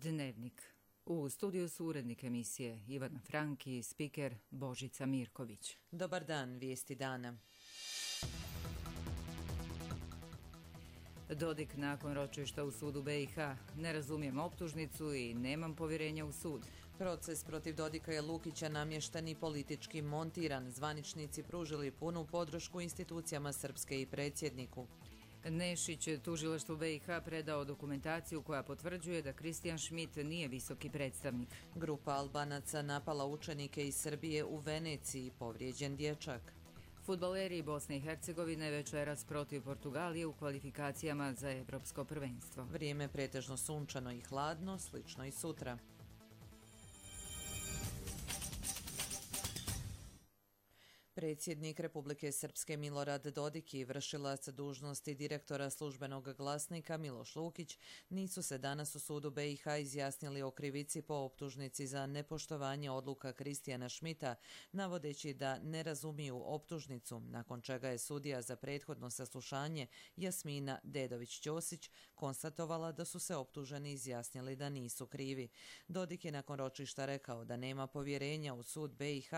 Dnevnik. U studiju su urednik emisije Ivana Frank i spiker Božica Mirković. Dobar dan, vijesti dana. Dodik nakon ročišta u sudu BiH. Ne razumijem optužnicu i nemam povjerenja u sud. Proces protiv Dodika i Lukića namješten i politički montiran. Zvaničnici pružili punu podršku institucijama Srpske i predsjedniku. Nešić je tužilaštvu BiH predao dokumentaciju koja potvrđuje da Kristijan Šmit nije visoki predstavnik. Grupa Albanaca napala učenike iz Srbije u Veneciji, povrijeđen dječak. Fudbaleri Bosne i Hercegovine večeras protiv Portugalije u kvalifikacijama za Evropsko prvenstvo. Vrijeme pretežno sunčano i hladno, slično i sutra. Predsjednik Republike Srpske Milorad Dodik i vršilac dužnosti direktora Službenog glasnika Miloš Lukić nisu se danas u sudu BiH izjasnili o krivici po optužnici za nepoštovanje odluka Kristijana Šmita, navodeći da ne razumiju optužnicu, nakon čega je sudija za prethodno saslušanje Jasmina Dedović-Ćosić konstatovala da su se optuženi izjasnili da nisu krivi. Dodik je nakon ročišta rekao da nema povjerenja u sud BiH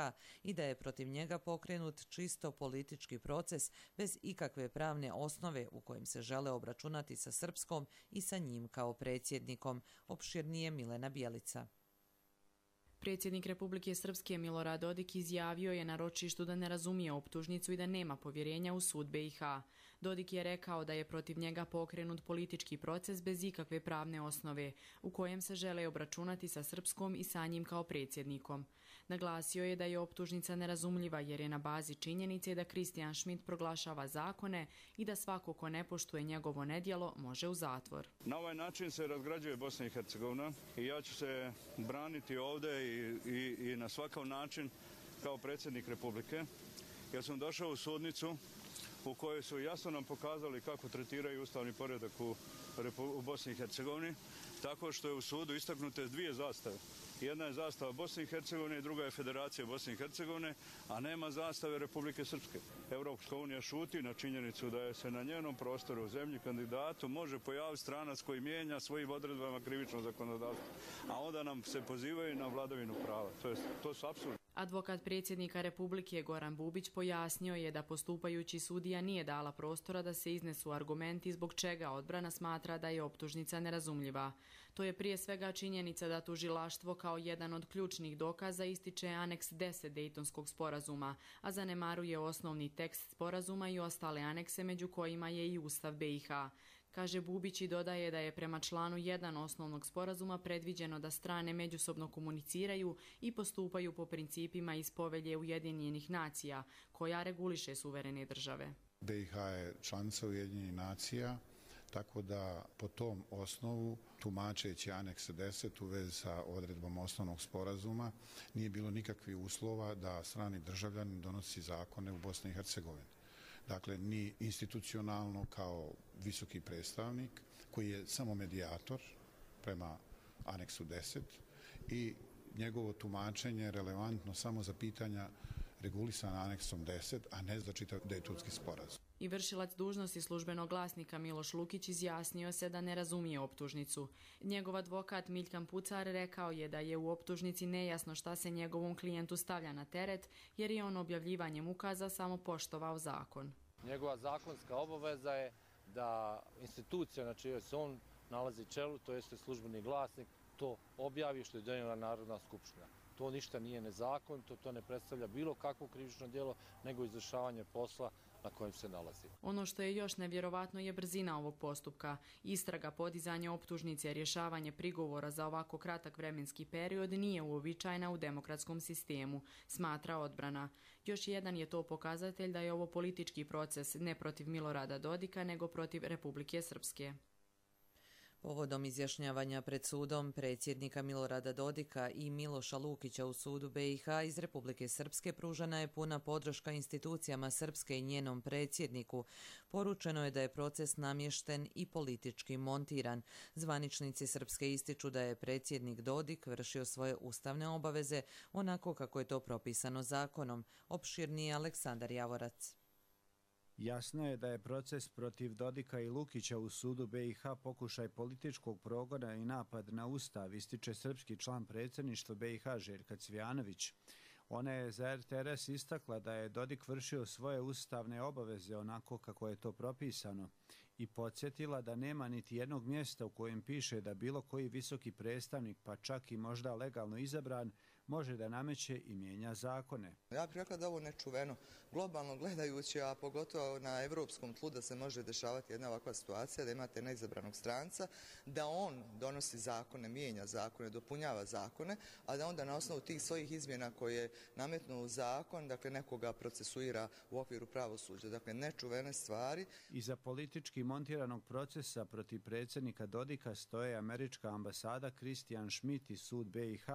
i da je protiv njega pokrenut čisto politički proces bez ikakve pravne osnove u kojem se žele obračunati sa Srpskom i sa njim kao predsjednikom. Opširnije Milena Bjelica. Predsjednik Republike Srpske Milorad Dodik izjavio je na ročištu da ne razumije optužnicu i da nema povjerenja u sud BiH. Dodik je rekao da je protiv njega pokrenut politički proces bez ikakve pravne osnove, u kojem se žele obračunati sa Srpskom i sa njim kao predsjednikom. Naglasio je da je optužnica nerazumljiva jer je na bazi činjenice da Kristijan Šmit proglašava zakone i da svako ko ne poštuje njegovo nedjelo može u zatvor. Na ovaj način se razgrađuje Bosna i Hercegovina i ja ću se braniti ovdje i na svakav način kao predsjednik Republike, jer sam došao u sudnicu u kojoj su jasno nam pokazali kako tretiraju ustavni poredak u Bosni i Hercegovini, tako što je u sudu istaknute dvije zastave. Jedna je zastava Bosne i Hercegovine i druga je Federacija Bosne i Hercegovine, a nema zastave Republike Srpske. Evropska unija šuti na činjenicu da je se na njenom prostoru u zemlji kandidatu može pojaviti stranac koji mijenja svojim odredbama krivično zakonodavstvo, a onda nam se pozivaju na vladavinu prava. To su apsurdi. Advokat predsjednika Republike Goran Bubić pojasnio je da postupajući sudija nije dala prostora da se iznesu argumenti zbog čega odbrana smatra da je optužnica nerazumljiva. To je prije svega činjenica da tužilaštvo kao jedan od ključnih dokaza ističe aneks 10 Dejtonskog sporazuma, a zanemaruje osnovni tekst sporazuma i ostale anekse među kojima je i Ustav BiH. Kaže Bubić i dodaje da je prema članu 1 osnovnog sporazuma predviđeno da strane međusobno komuniciraju i postupaju po principima iz Povelje Ujedinjenih nacija, koja reguliše suverene države. BiH je članica Ujedinjenih nacija, tako da po tom osnovu, tumačeći aneks 10 u vezi sa odredbom osnovnog sporazuma, nije bilo nikakvih uslova da strani državljanin donosi zakone u Bosni i Hercegovini. Dakle, ni institucionalno kao visoki predstavnik, koji je samo medijator prema aneksu 10 i njegovo tumačenje relevantno samo za pitanja regulisana aneksom 10, a ne za čitav Dejtonski sporazum. I vršilac dužnosti službenog glasnika Miloš Lukić izjasnio se da ne razumije optužnicu. Njegov advokat Miljkan Pucar rekao je da je u optužnici nejasno šta se njegovom klijentu stavlja na teret, jer je on objavljivanjem ukaza samo poštovao zakon. Njegova zakonska obaveza je da institucija na čijoj se on nalazi čelu, to jeste službeni glasnik, to objavi što je donijela Narodna skupština. To ništa nije nezakonito, to ne predstavlja bilo kakvo krivično djelo, nego izvršavanje posla na kojem se nalazi. Ono što je još nevjerovatno je brzina ovog postupka. Istraga, podizanje optužnice, rješavanje prigovora za ovako kratak vremenski period nije uobičajena u demokratskom sistemu, smatra odbrana. Još jedan je to pokazatelj da je ovo politički proces ne protiv Milorada Dodika, nego protiv Republike Srpske. Povodom izjašnjavanja pred sudom predsjednika Milorada Dodika i Miloša Lukića u sudu BiH iz Republike Srpske pružena je puna podrška institucijama Srpske i njenom predsjedniku. Poručeno je da je proces namješten i politički montiran. Zvaničnici Srpske ističu da je predsjednik Dodik vršio svoje ustavne obaveze onako kako je to propisano zakonom. Opširniji Aleksandar Javorac. Jasno je da je proces protiv Dodika i Lukića u sudu BiH pokušaj političkog progona i napad na ustav, ističe srpski član predsjedništva BiH Željka Cvijanović. Ona je za RTRS istakla da je Dodik vršio svoje ustavne obaveze onako kako je to propisano i podsjetila da nema niti jednog mjesta u kojem piše da bilo koji visoki predstavnik, pa čak i možda legalno izabran, može da nameće i mijenja zakone. Ja bih rekla da ovo nečuveno, globalno gledajući, a pogotovo na evropskom tlu da se može dešavati jedna ovakva situacija, da imate neizabranog stranca, da on donosi zakone, mijenja zakone, dopunjava zakone, a da onda na osnovu tih svojih izmjena koje nametnu u zakon, dakle nekoga procesuira u okviru pravosuđa. Dakle, nečuvene stvari. Iza politički montiranog procesa protiv predsjednika Dodika stoje američka ambasada, Christian Schmidt i sud BiH,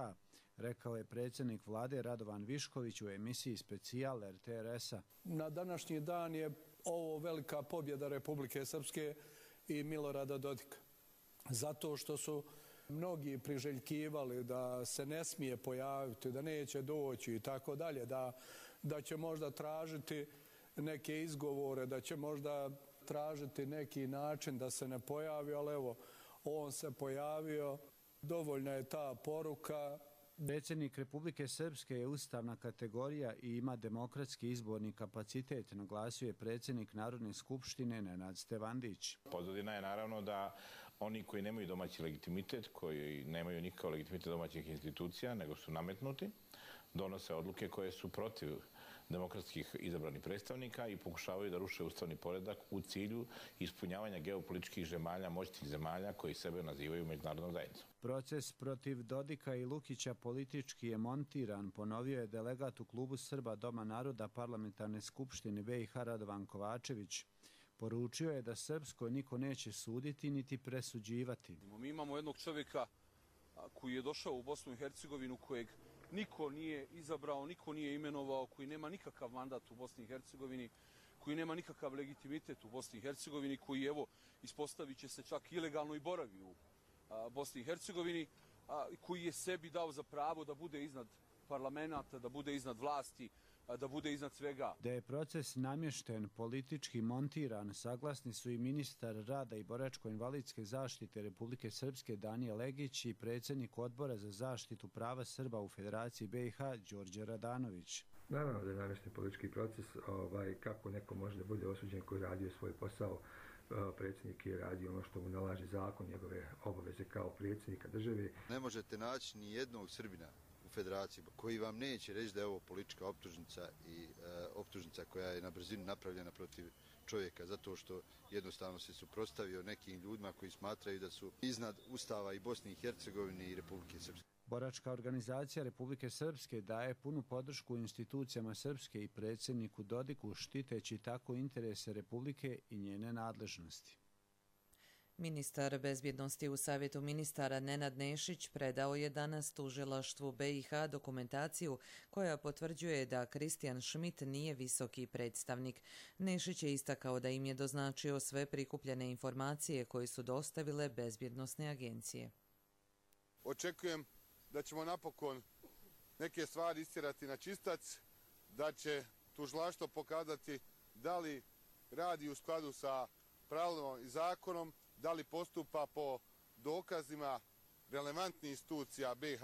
rekao je predsjednik vlade Radovan Višković u emisiji Specijal RTRS-a. Na današnji dan je ovo velika pobjeda Republike Srpske i Milorada Dodika. Zato što su mnogi priželjkivali da se ne smije pojaviti, da neće doći i tako dalje, da će možda tražiti neke izgovore, da će možda tražiti neki način da se ne pojavi, ali evo, on se pojavio, dovoljna je ta poruka. Predsjednik Republike Srpske je ustavna kategorija i ima demokratski izborni kapacitet, naglasio je predsjednik Narodne skupštine Nenad Stevandić. Pozadina je naravno da oni koji nemaju domaći legitimitet, koji nemaju nikakav legitimitet domaćih institucija, nego su nametnuti, donose odluke koje su protiv demokratskih izabranih predstavnika i pokušavaju da ruše ustavni poredak u cilju ispunjavanja geopolitičkih zemalja, moćnih zemalja koji sebe nazivaju međunarodnom zajednicom. Proces protiv Dodika i Lukića politički je montiran, ponovio je delegat u klubu Srba Doma naroda Parlamentarne skupštine BiH Radovan Kovačević. Poručio je da Srpskoj niko neće suditi niti presuđivati. Mi imamo jednog čovjeka koji je došao u Bosnu i Hercegovinu, kojeg niko nije izabrao, niko nije imenovao, koji nema nikakav mandat u Bosni i Hercegovini, koji nema nikakav legitimitet u Bosni i Hercegovini, koji, evo, ispostavit će se čak ilegalno i boravi u Bosni i Hercegovini, koji je sebi dao za pravo da bude iznad parlamenta, da bude iznad vlasti, da bude iznad svega. Da je proces namješten, politički montiran, saglasni su i ministar rada i boračko-invalidske zaštite Republike Srpske Danijel Legić i predsjednik odbora za zaštitu prava Srba u Federaciji BiH Đorđe Radanović. Naravno da je namješten politički proces, kako neko može da bude osuđen koji radio svoj posao. Predsjednik je radio ono što mu nalaže zakon, njegove obaveze kao predsjednika države. Ne možete naći ni jednog Srbina u federaciji koji vam neće reći da je ovo politička optužnica i optužnica koja je na brzinu napravljena protiv čovjeka zato što jednostavno se suprotstavio nekim ljudima koji smatraju da su iznad Ustava i Bosne i Hercegovine i Republike Srpske. Boračka organizacija Republike Srpske daje punu podršku institucijama Srpske i predsjedniku Dodiku, štiteći tako interese Republike i njene nadležnosti. Ministar bezbjednosti u Savjetu ministara Nenad Nešić predao je danas tužilaštvu BiH dokumentaciju koja potvrđuje da Christian Schmidt nije visoki predstavnik. Nešić je istakao da im je doznačio sve prikupljene informacije koje su dostavile bezbjednosne agencije. Očekujem da ćemo napokon neke stvari istjerati na čistac, da će tužilaštvo pokazati da li radi u skladu sa pravilom i zakonom, da li postupa po dokazima relevantnih institucija BiH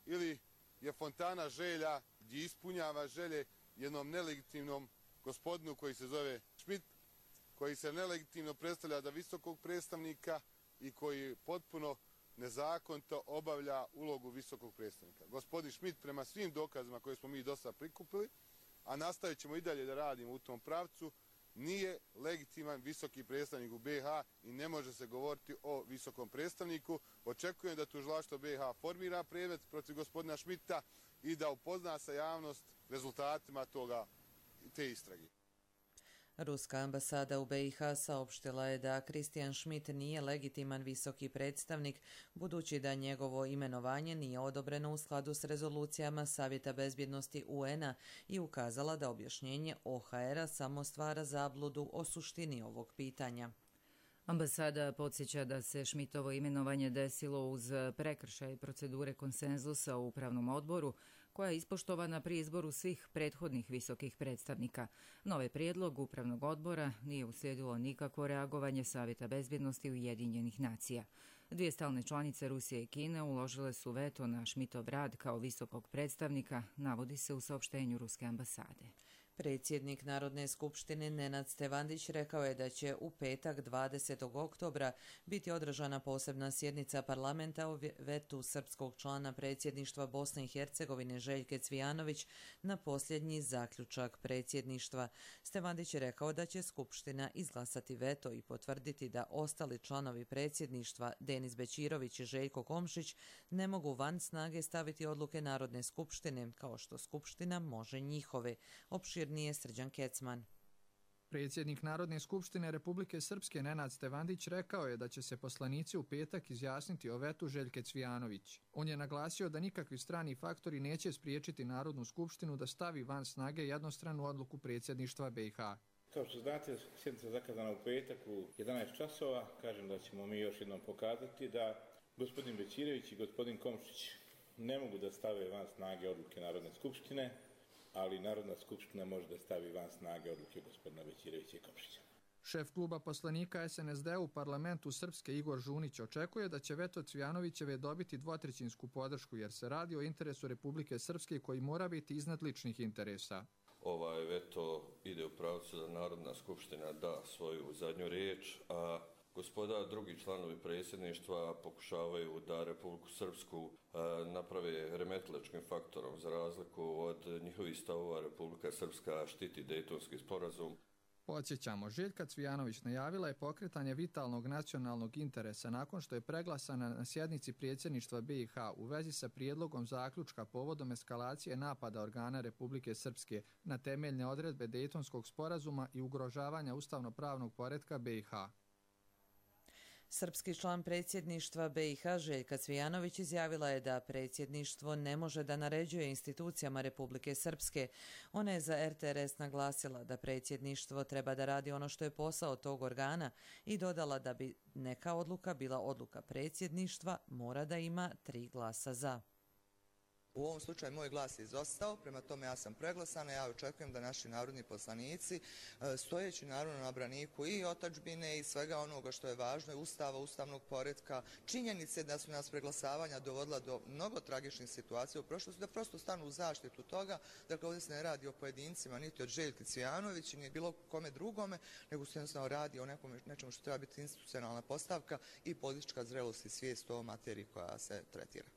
ili je fontana želja gdje ispunjava želje jednom nelegitimnom gospodinu koji se zove Schmidt, koji se nelegitimno predstavlja za visokog predstavnika i koji potpuno nezakonito obavlja ulogu visokog predstavnika. Gospodin Schmidt prema svim dokazima koje smo mi dosta prikupili, a nastavit ćemo i dalje da radimo u tom pravcu, nije legitiman visoki predstavnik u BiH i ne može se govoriti o visokom predstavniku. Očekujem da tužilaštvo BiH formira predmet protiv gospodina Schmidta i da upozna sa javnost rezultatima te istrage. Ruska ambasada u BiH saopštila je da Christian Schmidt nije legitiman visoki predstavnik, budući da njegovo imenovanje nije odobreno u skladu s rezolucijama Savjeta bezbjednosti UN-a i ukazala da objašnjenje OHR-a samo stvara zabludu o suštini ovog pitanja. Ambasada podsjeća da se Schmidtovo imenovanje desilo uz prekršaj procedure konsenzusa u upravnom odboru, koja koja je ispoštovana pri izboru svih prethodnih visokih predstavnika. Novi prijedlog Upravnog odbora nije uslijedilo nikakvo reagovanje Savjeta bezbjednosti Ujedinjenih nacija. Dvije stalne članice Rusije i Kine uložile su veto na Schmidtov rad kao visokog predstavnika, navodi se u saopštenju Ruske ambasade. Predsjednik Narodne skupštine Nenad Stevandić rekao je da će u petak 20. oktobra biti održana posebna sjednica parlamenta o vetu srpskog člana predsjedništva Bosne i Hercegovine Željke Cvijanović na posljednji zaključak predsjedništva. Stevandić je rekao da će skupština izglasati veto i potvrditi da ostali članovi predsjedništva Denis Bećirović i Željko Komšić ne mogu van snage staviti odluke Narodne skupštine, kao što skupština može njihove. Nije Srđan Kecman. Predsjednik Narodne skupštine Republike Srpske Nenad Stevandić rekao je da će se poslanici u petak izjasniti o vetu Željke Cvijanović. On je naglasio da nikakvi strani faktori neće spriječiti Narodnu skupštinu da stavi van snage jednostranu odluku predsjedništva BiH. Kao što znate, sjednica je zakazana u petak u 11 časova. Kažem da ćemo mi još jednom pokazati da gospodin Bećirović i gospodin Komšić ne mogu da stave van snage odluke Narodne skupštine, ali Narodna skupština može da stavi van snage odluke gospodina Bećirovića i Komšića. Šef kluba poslanika SNSD u parlamentu Srpske Igor Žunić očekuje da će veto Cvijanovićeve dobiti dvotrećinsku podršku jer se radi o interesu Republike Srpske koji mora biti iznad ličnih interesa. Ovaj veto ide u pravcu da Narodna skupština da svoju zadnju riječ, a gospoda, drugi članovi predsjedništva pokušavaju da Republiku Srpsku naprave remetilačkim faktorom za razliku od njihovih stavova. Republika Srpska štiti Dejtonski sporazum. Podsjećamo, Željka Cvijanović najavila je pokretanje vitalnog nacionalnog interesa nakon što je preglasana na sjednici predsjedništva BiH u vezi sa prijedlogom zaključka povodom eskalacije napada organa Republike Srpske na temeljne odredbe Dejtonskog sporazuma i ugrožavanja ustavno-pravnog poretka BiH. Srpski član predsjedništva BiH Željka Cvijanović izjavila je da predsjedništvo ne može da naređuje institucijama Republike Srpske. Ona je za RTRS naglasila da predsjedništvo treba da radi ono što je posao tog organa i dodala da bi neka odluka bila odluka predsjedništva, mora da ima 3 glasa za. U ovom slučaju moj glas je izostao, prema tome ja sam preglasana, ja očekujem da naši narodni poslanici, stojeći naravno na braniku i otadžbine i svega onoga što je važno, ustava, ustavnog poretka, činjenice da su nas preglasavanja dovodila do mnogo tragičnih situacija u prošlosti, da prosto stanu u zaštitu toga. Dakle, ovdje se ne radi o pojedincima, niti od Željke Cvijanović, ni bilo kome drugome, nego se jednostavno radi o nečemu što treba biti institucionalna postavka i politička zrelost i svijest o materiji koja se tretira.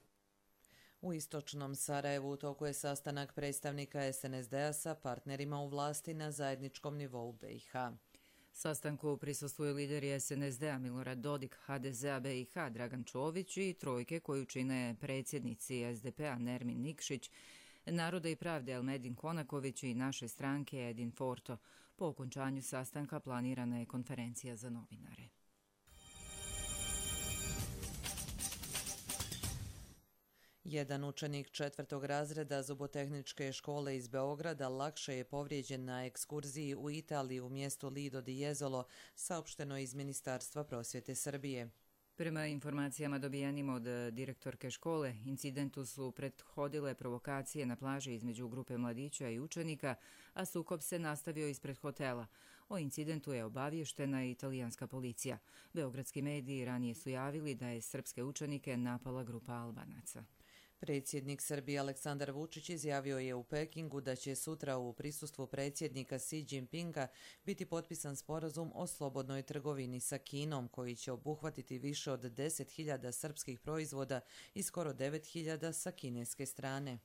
U istočnom Sarajevu u toku je sastanak predstavnika SNSD-a sa partnerima u vlasti na zajedničkom nivou BiH. Sastanku prisustvuju lideri SNSD-a Milorad Dodik, HDZ-a BiH Dragan Čović i trojke koju čine predsjednici SDP-a Nermin Nikšić, Naroda i pravde Elmedin Konaković i naše stranke Edin Forto. Po okončanju sastanka planirana je konferencija za novinare. Jedan učenik 4. razreda zubotehničke škole iz Beograda lakše je povrijeđen na ekskurziji u Italiji u mjestu Lido di Jesolo, saopšteno iz Ministarstva prosvjete Srbije. Prema informacijama dobijenim od direktorke škole, incidentu su prethodile provokacije na plaži između grupe mladića i učenika, a sukob se nastavio ispred hotela. O incidentu je obavještena i italijanska policija. Beogradski mediji ranije su javili da je srpske učenike napala grupa Albanaca. Predsjednik Srbije Aleksandar Vučić izjavio je u Pekingu da će sutra u prisustvu predsjednika Xi Jinpinga biti potpisan sporazum o slobodnoj trgovini sa Kinom, koji će obuhvatiti više od 10.000 srpskih proizvoda i skoro 9.000 sa kineske strane.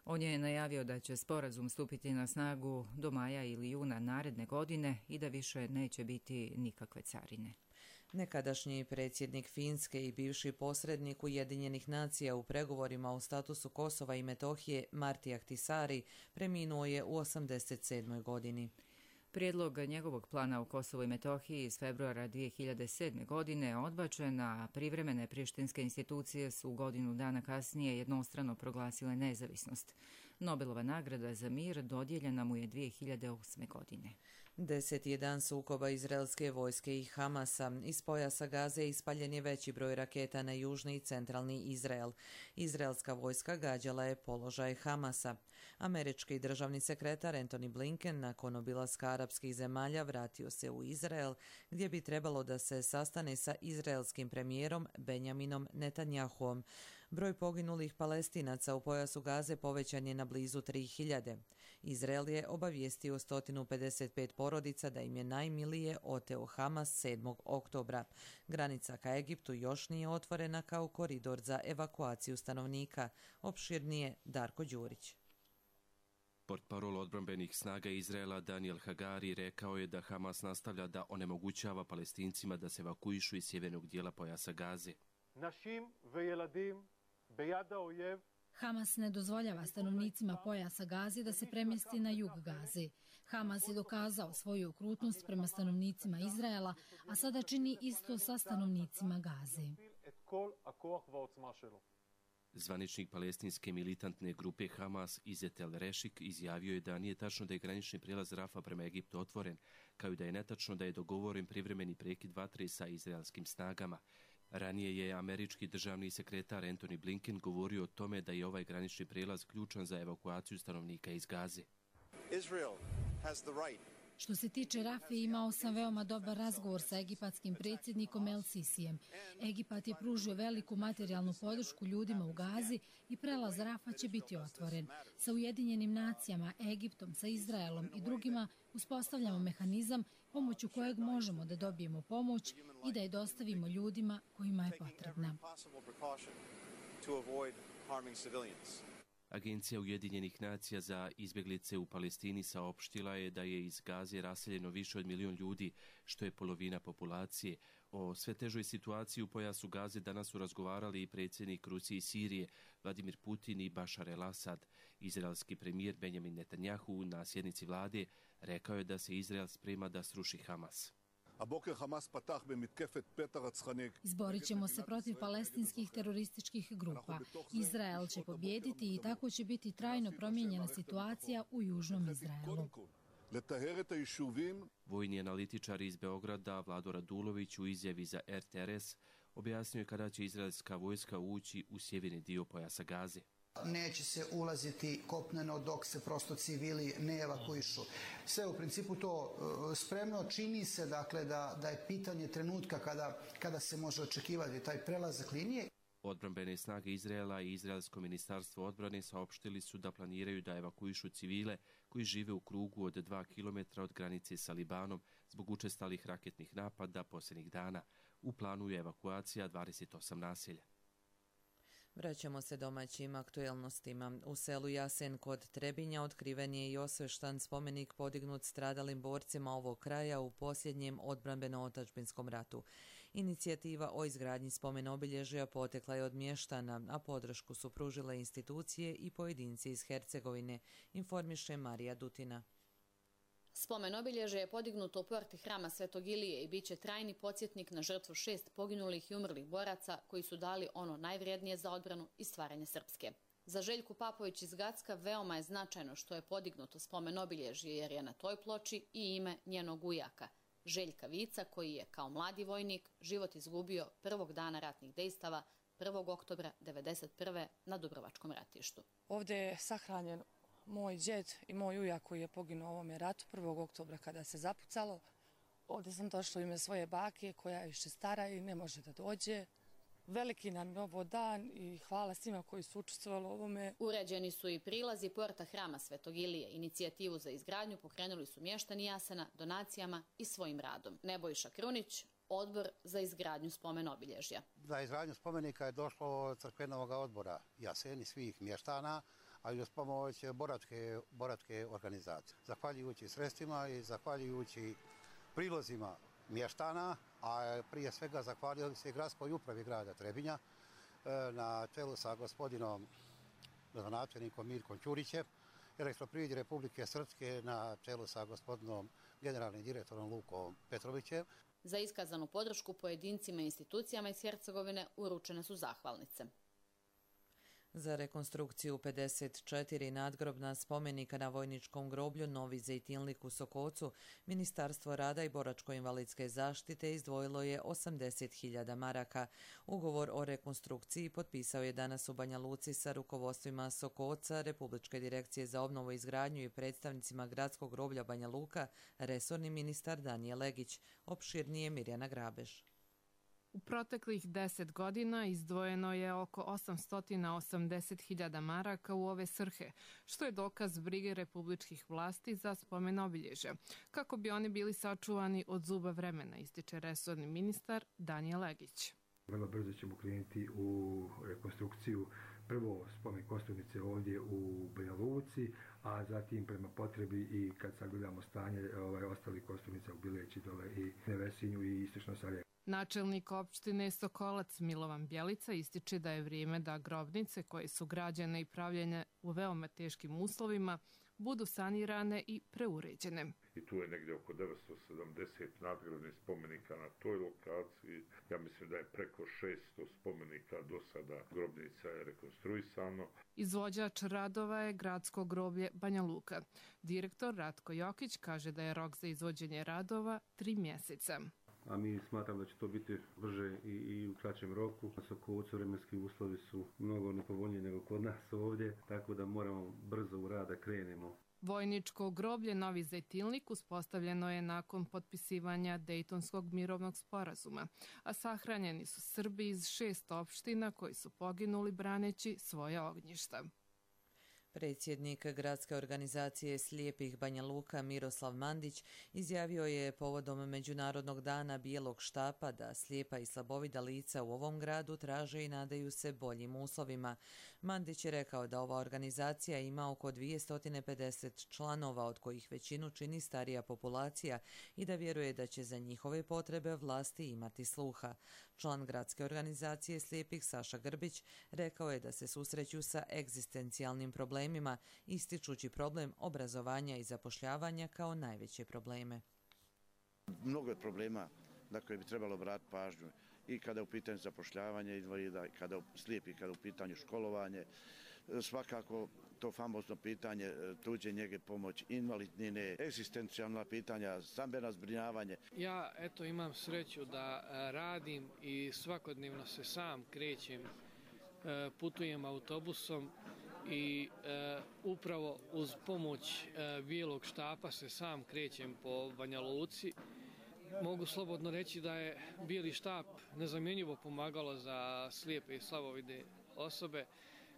On je najavio da će sporazum stupiti na snagu do maja ili juna naredne godine i da više neće biti nikakve carine. Nekadašnji predsjednik Finske i bivši posrednik Ujedinjenih nacija u pregovorima o statusu Kosova i Metohije Martti Ahtisaari preminuo je u 87. godini. Prijedlog njegovog plana u Kosovu i Metohiji iz februara 2007. godine odbačen, a privremene prištinske institucije su godinu dana kasnije jednostrano proglasile nezavisnost. Nobelova nagrada za mir dodijeljena mu je 2008. godine. 10. je dan sukoba izraelske vojske i Hamasa. Iz pojasa Gaze ispaljen je veći broj raketa na južni i centralni Izrael. Izraelska vojska gađala je položaj Hamasa. Američki državni sekretar Antony Blinken nakon obilaska arapskih zemalja vratio se u Izrael, gdje bi trebalo da se sastane sa izraelskim premijerom Benjaminom Netanjahuom. Broj poginulih Palestinaca u pojasu Gaze povećan je na blizu 3000. Izrael je obavijestio 155 porodica da im je najmilije oteo Hamas 7. oktobra. Granica ka Egiptu još nije otvorena kao koridor za evakuaciju stanovnika. Opširnije Darko Đurić. Portparol odbrambenih snaga Izraela Daniel Hagari rekao je da Hamas nastavlja da onemogućava Palestincima da se evakuišu iz sjevernog dijela pojasa Gaze. Hamas ne dozvoljava stanovnicima pojasa Gaze da se premjesti na jug Gaze. Hamas je dokazao svoju okrutnost prema stanovnicima Izraela, a sada čini isto sa stanovnicima Gaze. Zvaničnik palestinske militantne grupe Hamas Izet El Rešik izjavio je da nije tačno da je granični prijelaz Rafa prema Egiptu otvoren, kao i da je netačno da je dogovoren privremeni prekid vatre sa izraelskim snagama. Ranije je američki državni sekretar Antony Blinken govorio o tome da je ovaj granični prijelaz ključan za evakuaciju stanovnika iz Gaze. Što se tiče Rafe, imao sam veoma dobar razgovor sa egipatskim predsjednikom El Sisijem. Egipat je pružio veliku materijalnu podršku ljudima u Gazi i prelaz Rafa će biti otvoren. Sa Ujedinjenim nacijama, Egiptom, sa Izraelom i drugima uspostavljamo mehanizam pomoću kojeg možemo da dobijemo pomoć i da je dostavimo ljudima kojima je potrebna. Agencija Ujedinjenih nacija za izbjeglice u Palestini saopštila je da je iz Gaze raseljeno više od 1 milion ljudi, što je polovina populacije. O sve težoj situaciji u pojasu Gaze danas su razgovarali i predsjednik Rusije i Sirije, Vladimir Putin i Bašar el-Asad. Izraelski premijer Benjamin Netanjahu na sjednici vlade rekao je da se Izrael sprema da sruši Hamas. Izborit ćemo se protiv palestinskih terorističkih grupa. Izrael će pobijediti i tako će biti trajno promijenjena situacija u južnom Izraelu. Vojni analitičar iz Beograda Vlado Radulović u izjavi za RTRS objasnio je kada će izraelska vojska ući u sjeverni dio pojasa Gaze. Neće se ulaziti kopneno dok se prosto civili ne evakuišu. Sve u principu to spremno, čini se dakle da je pitanje trenutka kada se može očekivati taj prelazak linije. Odbrambene snage Izraela i Izraelsko ministarstvo odbrane saopštili su da planiraju da evakuišu civile koji žive u krugu od 2 km od granice sa Libanom zbog učestalih raketnih napada posljednjih dana. U planu je evakuacija 28 naselja. Vraćamo se domaćim aktuelnostima. U selu Jasen kod Trebinja otkriven je i osveštan spomenik podignut stradalim borcima ovog kraja u posljednjem odbrambeno-otadžbinskom ratu. Inicijativa o izgradnji spomen obilježja potekla je od mještana, a podršku su pružile institucije i pojedinci iz Hercegovine, informiše Marija Dutina. Spomen obilježje je podignuto u porti hrama Svetog Ilije i bit će trajni podsjetnik na žrtvu 6 poginulih i umrlih boraca koji su dali ono najvrijednije za odbranu i stvaranje Srpske. Za Željku Papović iz Gacka veoma je značajno što je podignuto spomen obilježje jer je na toj ploči i ime njenog ujaka, Željka Vica, koji je kao mladi vojnik život izgubio prvog dana ratnih dejstava 1. oktobra 1991. na Dubrovačkom ratištu. Ovdje je sahranjen moj djed i moj ujak koji je poginuo u ovome ratu 1. oktobra kada se zapucalo. Ovdje sam došla u ime svoje bake koja je više stara i ne može da dođe. Veliki nam je ovo dan i hvala svima koji su učestvovali u ovome. Uređeni su i prilazi porta hrama Svetog Ilije. Inicijativu za izgradnju pokrenuli su mještani Jasena donacijama i svojim radom. Nebojša Krunić, Odbor za izgradnju spomen obilježja. Za izgradnju spomenika je došlo od crkvenog odbora Jasen i svih mještana, a i uz pomoć boračke organizacije. Zahvaljujući sredstvima i zahvaljujući prilozima mještana, a prije svega zahvaljujem se gradskoj upravi grada Trebinja na čelu sa gospodinom gradonačelnikom Mirkom Ćurićem, Elektroprivredi Republike Srpske na čelu sa gospodinom generalnim direktorom Lukom Petrovićem. Za iskazanu podršku pojedincima i institucijama iz Hercegovine uručene su zahvalnice. Za rekonstrukciju 54 nadgrobna spomenika na vojničkom groblju Novi Zejtinlik u Sokocu, Ministarstvo rada i boračko-invalidske zaštite izdvojilo je 80.000 maraka. Ugovor o rekonstrukciji potpisao je danas u Banja Luci sa rukovodstvima Sokoca, Republičke direkcije za obnovu i izgradnju i predstavnicima gradskog groblja Banja Luka, resorni ministar Danijel Legić. Opširnije Mirjana Grabež. U proteklih 10 godina izdvojeno je oko 880.000 maraka u ove svrhe, što je dokaz brige republičkih vlasti za spomen obilježja, kako bi oni bili sačuvani od zuba vremena, ističe resorni ministar Danijel Legić. Vrlo brzo ćemo krenuti u rekonstrukciju prvo spomen kosturnice ovdje u Banja Luci, a zatim prema potrebi i kad sagledamo stanje ostalih kosturnica u Bileći dole i Nevesinju i istočno Sarajevo. Načelnik opštine Sokolac Milovan Bjelica ističe da je vrijeme da grobnice koje su građene i pravljene u veoma teškim uslovima budu sanirane i preuređene. I tu je negdje oko 970 nadgrobnih spomenika na toj lokaciji. Ja mislim da je preko 600 spomenika do sada grobnica je rekonstruisano. Izvođač radova je gradsko groblje Banja Luka. Direktor Ratko Jokić kaže da je rok za izvođenje radova 3 mjeseca. A mi smatram da će to biti brže i u kraćem roku. Na Sokocu vremenski uslovi su mnogo nepovoljniji nego kod nas ovdje, tako da moramo brzo u rad da krenemo. Vojničko groblje Novi Zejtinlik uspostavljeno je nakon potpisivanja Dejtonskog mirovnog sporazuma, a sahranjeni su Srbi iz 6 opština koji su poginuli braneći svoje ognjišta. Predsjednik gradske organizacije slijepih Banja Luka Miroslav Mandić izjavio je povodom Međunarodnog dana bijelog štapa da slijepa i slabovida lica u ovom gradu traže i nadaju se boljim uslovima. Mandić je rekao da ova organizacija ima oko 250 članova, od kojih većinu čini starija populacija i da vjeruje da će za njihove potrebe vlasti imati sluha. Član gradske organizacije slijepih Saša Grbić rekao je da se susreću sa egzistencijalnim problemima, ističući problem obrazovanja i zapošljavanja kao najveće probleme. Mnogo je problema na koje bi trebalo obratiti pažnju i kada je u pitanju zapošljavanje invalida, slijepih, kada je u pitanju školovanje. Svakako to famozno pitanje tuđe njege, pomoć, invalidnine, egzistencijalna pitanja, stambeno zbrinjavanje. Ja imam sreću da radim i svakodnevno se sam krećem, putujem autobusom i upravo uz pomoć bijelog štapa se sam krećem po Banja Luci. Mogu slobodno reći da je bijeli štap nezamjenjivo pomagalo za slijepe i slabovide osobe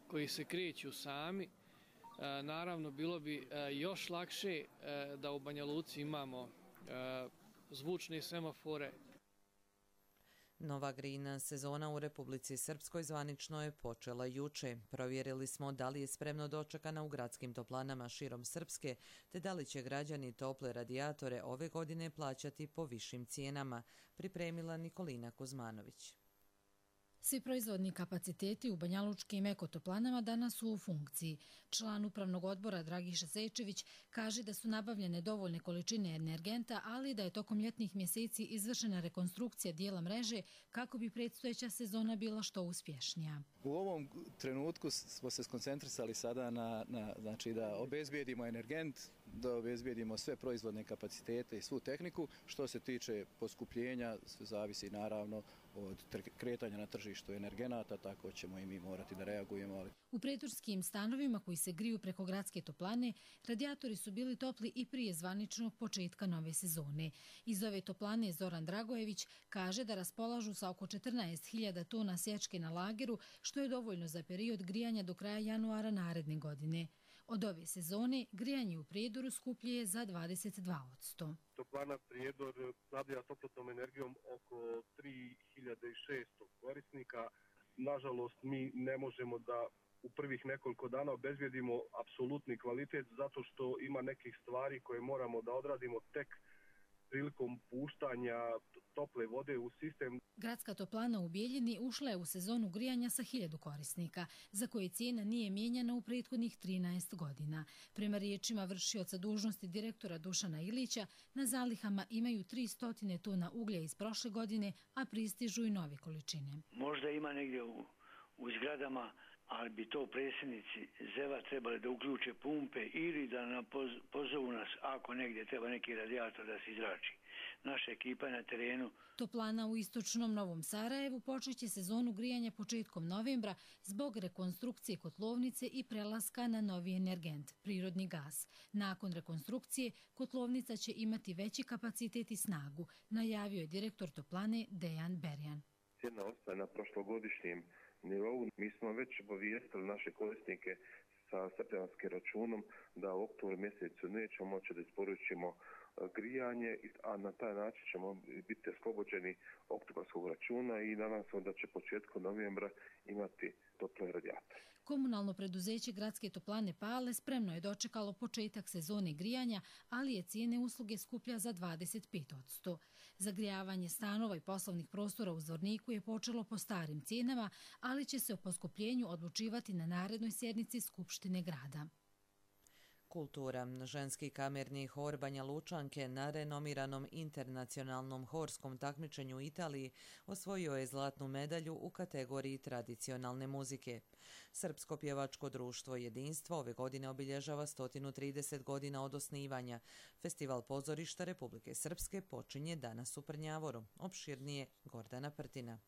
koji se kreću sami. Naravno, bilo bi još lakše da u Banja Luci imamo zvučne semafore. Nova grina sezona u Republici Srpskoj zvanično je počela juče. Provjerili smo da li je spremno dočekana u gradskim toplanama širom Srpske, te da li će građani tople radijatore ove godine plaćati po višim cijenama, pripremila Nikolina Kuzmanović. Svi proizvodni kapaciteti u banjalučkim ekotoplanama danas su u funkciji. Član upravnog odbora Dragiša Zečević kaže da su nabavljene dovoljne količine energenta, ali da je tokom ljetnih mjeseci izvršena rekonstrukcija dijela mreže kako bi predstojeća sezona bila što uspješnija. U ovom trenutku smo se skoncentrisali sada znači da obezbijedimo energent, da obezbijedimo sve proizvodne kapacitete i svu tehniku. Što se tiče poskupljenja, zavisi naravno od kretanja na tržištu energenata, tako ćemo i mi morati da reagujemo. U pretorskim stanovima koji se griju preko gradske toplane, radijatori su bili topli i prije zvaničnog početka nove sezone. Iz ove toplane Zoran Dragojević kaže da raspolažu sa oko 14.000 tona sječke na lageru, što je dovoljno za period grijanja do kraja januara naredne godine. Od ove sezone grijanje u Prijedoru skuplje je za 22%. Toplana Prijedor snabdjeva toplotnom energijom oko 3600 korisnika. Nažalost, mi ne možemo da u prvih nekoliko dana obezbijedimo apsolutni kvalitet zato što ima nekih stvari koje moramo da odradimo tek prilikom puštanja tople vode u sistem. Gradska toplana u Bijeljini ušla je u sezonu grijanja sa 1000 korisnika, za koje cijena nije mijenjana u prethodnih 13 godina. Prema riječima vršioca dužnosti direktora Dušana Ilića, na zalihama imaju 300 tona uglja iz prošle godine, a pristižu i nove količine. Možda ima negdje u zgradama ali bi to predsjednici ZEV-a trebali da uključe pumpe ili da pozovu nas ako negdje treba neki radijator da se izrači. Naša ekipa je na terenu. Toplana u istočnom Novom Sarajevu počeće sezonu grijanja početkom novembra zbog rekonstrukcije kotlovnice i prelaska na novi energent, prirodni gas. Nakon rekonstrukcije, kotlovnica će imati veći kapacitet i snagu, najavio je direktor Toplane Dejan Berjan. Cijena ostaje na prošlogodišnjem nivou. Mi smo već obavijestili naše korisnike sa septembarskim računom da u oktobru mjesecu nećemo moći da isporučimo grijanje, a na taj način ćemo biti oslobođeni oktobarskog računa i nadam se da će početkom novembra imati tople radijatore. Komunalno preduzeće Gradske toplane Pale spremno je dočekalo početak sezone grijanja, ali je cijene usluge skuplja za 25%. Zagrijavanje stanova i poslovnih prostora u Zvorniku je počelo po starim cijenama, ali će se o poskupljenju odlučivati na narednoj sjednici Skupštine grada. Kultura. Ženski kamerni hor Banja Lučanke na renomiranom internacionalnom horskom takmičenju u Italiji osvojio je zlatnu medalju u kategoriji tradicionalne muzike. Srpsko pjevačko društvo Jedinstvo ove godine obilježava 130 godina od osnivanja. Festival pozorišta Republike Srpske počinje danas u Prnjavoru. Opširnije Gordana Prtina.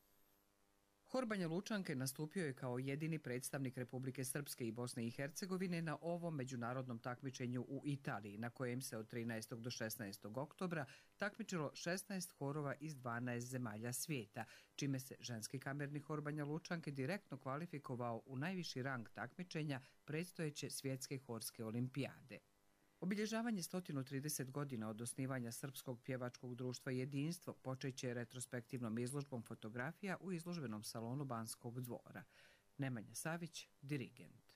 Hor Banja Lučanke nastupio je kao jedini predstavnik Republike Srpske i Bosne i Hercegovine na ovom međunarodnom takmičenju u Italiji, na kojem se od 13. do 16. oktobra takmičilo 16 horova iz 12 zemalja svijeta, čime se ženski kamerni hor Banja Lučanke direktno kvalifikovao u najviši rang takmičenja predstojeće svjetske horske olimpijade. Obilježavanje 130 godina od osnivanja Srpskog pjevačkog društva Jedinstvo počeće retrospektivnom izložbom fotografija u izložbenom salonu Banskog dvora. Nemanja Savić, dirigent.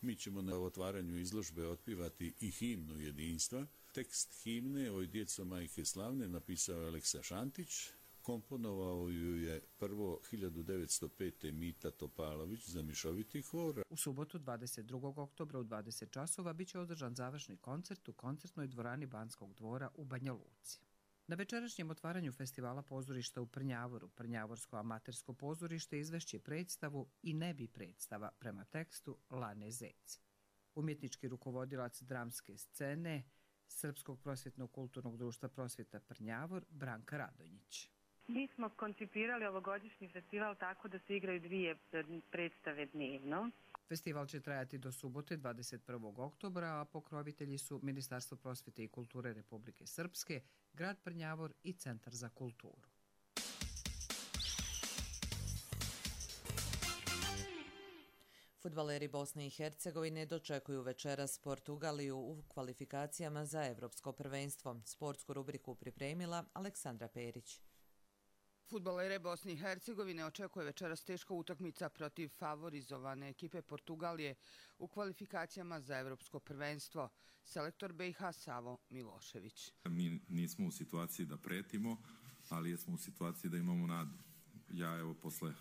Mi ćemo na otvaranju izložbe otpivati i himnu Jedinstva. Tekst himne Oj djeco majke slavne napisao je Aleksa Šantić. Komponovao ju je prvo 1905. Mita Topalović za mišoviti hor. U subotu 22. oktobra u 20 časova biće održan završni koncert u koncertnoj dvorani Banskog dvora u Banja Luci. Na večerašnjem otvaranju festivala pozorišta u Prnjavoru, Prnjavorsko amatersko pozorište izvešće predstavu I nebi predstava prema tekstu Lane Zec. Umjetnički rukovodilac dramske scene Srpskog prosvjetno-kulturnog društva Prosvjeta Prnjavor Branka Radonjić. Mi smo koncipirali ovogodišnji festival tako da se igraju 2 predstave dnevno. Festival će trajati do subote 21. oktobra, a pokrovitelji su Ministarstvo prosvjete i kulture Republike Srpske, grad Prnjavor i Centar za kulturu. Fudbaleri Bosne i Hercegovine dočekuju večeras Portugaliju u kvalifikacijama za Evropsko prvenstvo. Sportsku rubriku pripremila Aleksandra Perić. Fudbalere Bosne i Hercegovine očekuje večeras teška utakmica protiv favorizovane ekipe Portugalije u kvalifikacijama za Evropsko prvenstvo. Selektor BiH Savo Milošević. Mi nismo u situaciji da pretimo, ali jesmo u situaciji da imamo nadu. Ja evo posle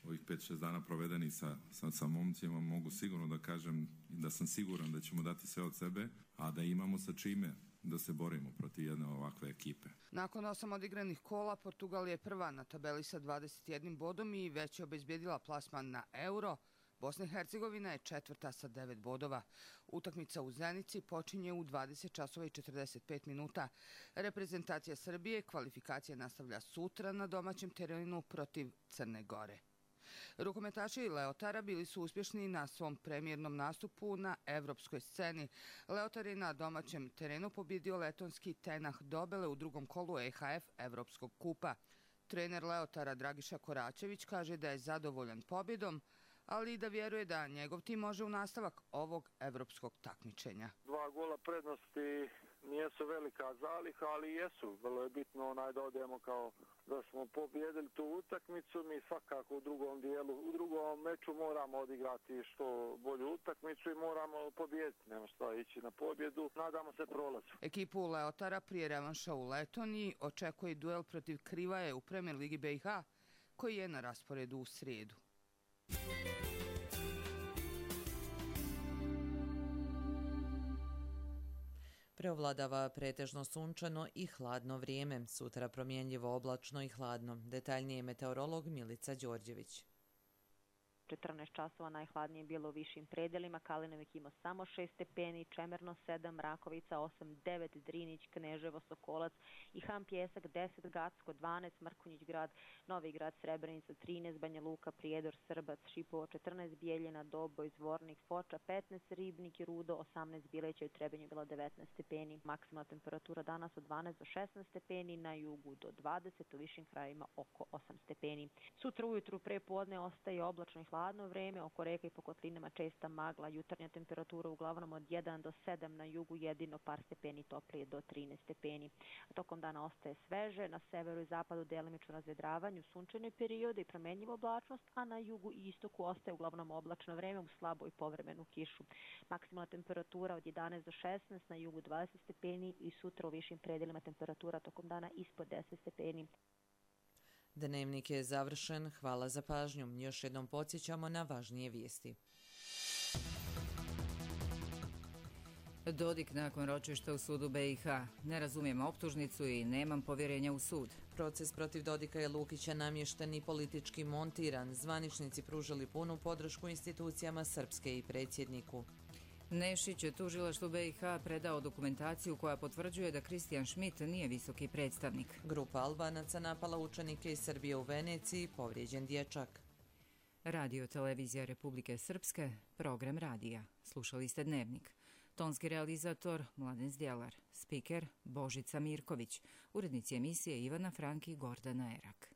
ovih 5-6 dana provedeni sa momcima mogu sigurno da kažem da sam siguran da ćemo dati sve od sebe, a da imamo sa čime da se borimo protiv jedne ovakve ekipe. Nakon 8 odigranih kola, Portugal je prva na tabeli sa 21 bodom i već je obezbijedila plasman na Euro. Bosna i Hercegovina je četvrta sa 9 bodova. Utakmica u Zenici počinje u 20 časova i 45 minuta. Reprezentacija Srbije kvalifikacije nastavlja sutra na domaćem terenu protiv Crne Gore. Rukometaši Leotara bili su uspješni na svom premijernom nastupu na evropskoj sceni. Leotar je na domaćem terenu pobjedio letonski Tenah Dobele u drugom kolu EHF Evropskog kupa. Trener Leotara Dragiša Koračević kaže da je zadovoljan pobjedom, ali i da vjeruje da njegov tim može u nastavak ovog evropskog takmičenja. 2 gola prednosti nijesu velika zaliha, ali jesu. Vrlo je bitno da odemo kao da smo pobjedili tu utakmicu. Mi svakako u drugom meču moramo odigrati što bolju utakmicu i moramo pobjediti. Nema šta ići na pobjedu. Nadamo se prolazu. Ekipu Leotara prije revanša u Letoniji očekuje duel protiv Krivaje u Premier Ligi BiH, koji je na rasporedu u srijedu. Preovladava pretežno sunčano i hladno vrijeme. Sutra promjenjivo oblačno i hladno. Detaljnije meteorolog Milica Đorđević. 14 časova najhladnije bilo u višim predelima, Kalinovik imao samo 6 stepeni, Čemerno 7, Rakovica 8, 9, Drinić, Kneževo, Sokolac i Ham Pjesak 10, Gacko 12, Mrkonjić grad, Novi grad, Srebrenica 13, Banja Luka, Prijedor, Srbac, Šipovo 14, Bijeljina, Doboj, Zvornik, Foča 15, Ribnik i Rudo 18, Bileća i Trebinju bila 19 stepeni. Maksimalna temperatura danas od 12 do 16 stepeni, na jugu do 20, u višim krajevima oko 8 stepeni. Sutra ujutru pre podne ostaje oblačno i hladno vreme, oko reka i po kotlinama česta magla, jutarnja temperatura uglavnom od 1 do 7, na jugu jedino par stepeni toplije do 13 stepeni. A tokom dana ostaje sveže, na severu i zapadu delimično razvedravanje, sunčane periode i promenljiva oblačnost, a na jugu i istoku ostaje uglavnom oblačno vreme uz slabu i povremenu kišu. Maksimalna temperatura od 11 do 16, na jugu 20 stepeni i sutra u višim predelima temperatura tokom dana ispod 10 stepeni. Dnevnik je završen. Hvala za pažnju. Još jednom podsjećamo na važnije vijesti. Dodik nakon ročišta u sudu BiH. Ne razumijem optužnicu i nemam povjerenja u sud. Proces protiv Dodika i Lukića namješten i politički montiran. Zvaničnici pružili punu podršku institucijama Srpske i predsjedniku. Nešić je tužilaštvu BiH predao dokumentaciju koja potvrđuje da Kristijan Schmidt nije visoki predstavnik. Grupa Albanaca napala učenike iz Srbije u Veneciji, povrijeđen dječak. Radio Televizija Republike Srpske, program radija. Slušali ste Dnevnik. Tonski realizator Mladen Zdjelar, spiker Božica Mirković, urednici emisije Ivana Franki i Gordana Erak.